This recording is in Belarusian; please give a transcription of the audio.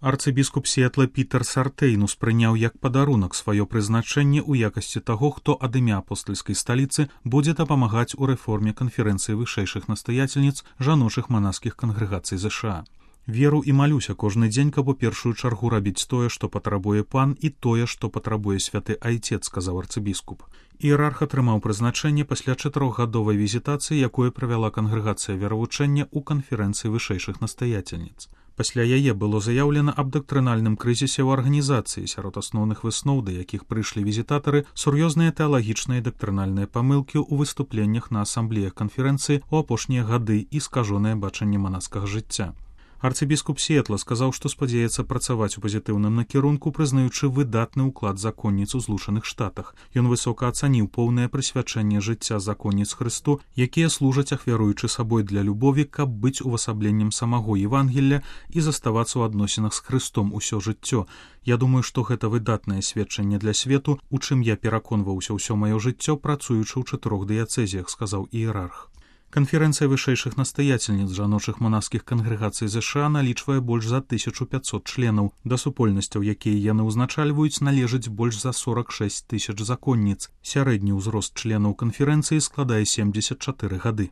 Арцыбіскуп Сіэтла Пітер Сартейн успрыняў як падарунак сваё прызначэнне ў якасці таго, хто ад імя апостальскай сталіцы будзе дапамагаць у рэформе канферэнцыі вышэйшых настаяцельніц жаночых манаскіх кангрэгацый ЗША. Веру і малюся кожны дзень, каб у першую чаргу рабіць тое, што патрабуе пан, і тое, што патрабуе святы айцец, сказаў арцыбіскуп. Іерарх атрымаў прызначэнне пасля 4гадовай візітацыі, якое правяла кангрэгацыя веравучэння ў канферэнцыі вышэйшых настаяцельніц. Пасля яе было заяўлена аб дактрынальным крызісе ў арганізацыі, сярод асноўных высноў, да якіх прыйшлі візітатары, сур'ёзныя тэалагічныя і дактрынальныя памылкі ў выступленнях на асамблеях канферэнцыі ў апошнія гады і скажонае бачанне манаскага жыцця. Арцыбіскуп Сіэтла сказаў, што спадзяецца працаваць у пазітыўным накірунку, прызнаючы выдатны ўклад законніц у Злучаных Штатах. Ён высока ацаніў поўнае прысвячэнне жыцця законніц Хрысту, якія служаць, ахвяруючы сабой для любові, каб быць увасабленнем самого Евангелля і заставацца ў адносінах з Хрыстом усё жыццё. Я думаю, што гэта выдатнае сведчанне для свету, у чым я пераконваўся ўсё маё жыццё, працуючы ў 4 дыяцэзіях, сказаў іерарх. Канферэнцыя вышэйшых настаяцельніц жаночых манаскіх кангрэгацый ЗША налічвае больш за 1500 членаў. Да супольнасцяў, якія яны ўзначальваюць, належыць больш за 46 000 законніц. Сярэдні ўзрост членаў канферэнцыі складае 74 гады.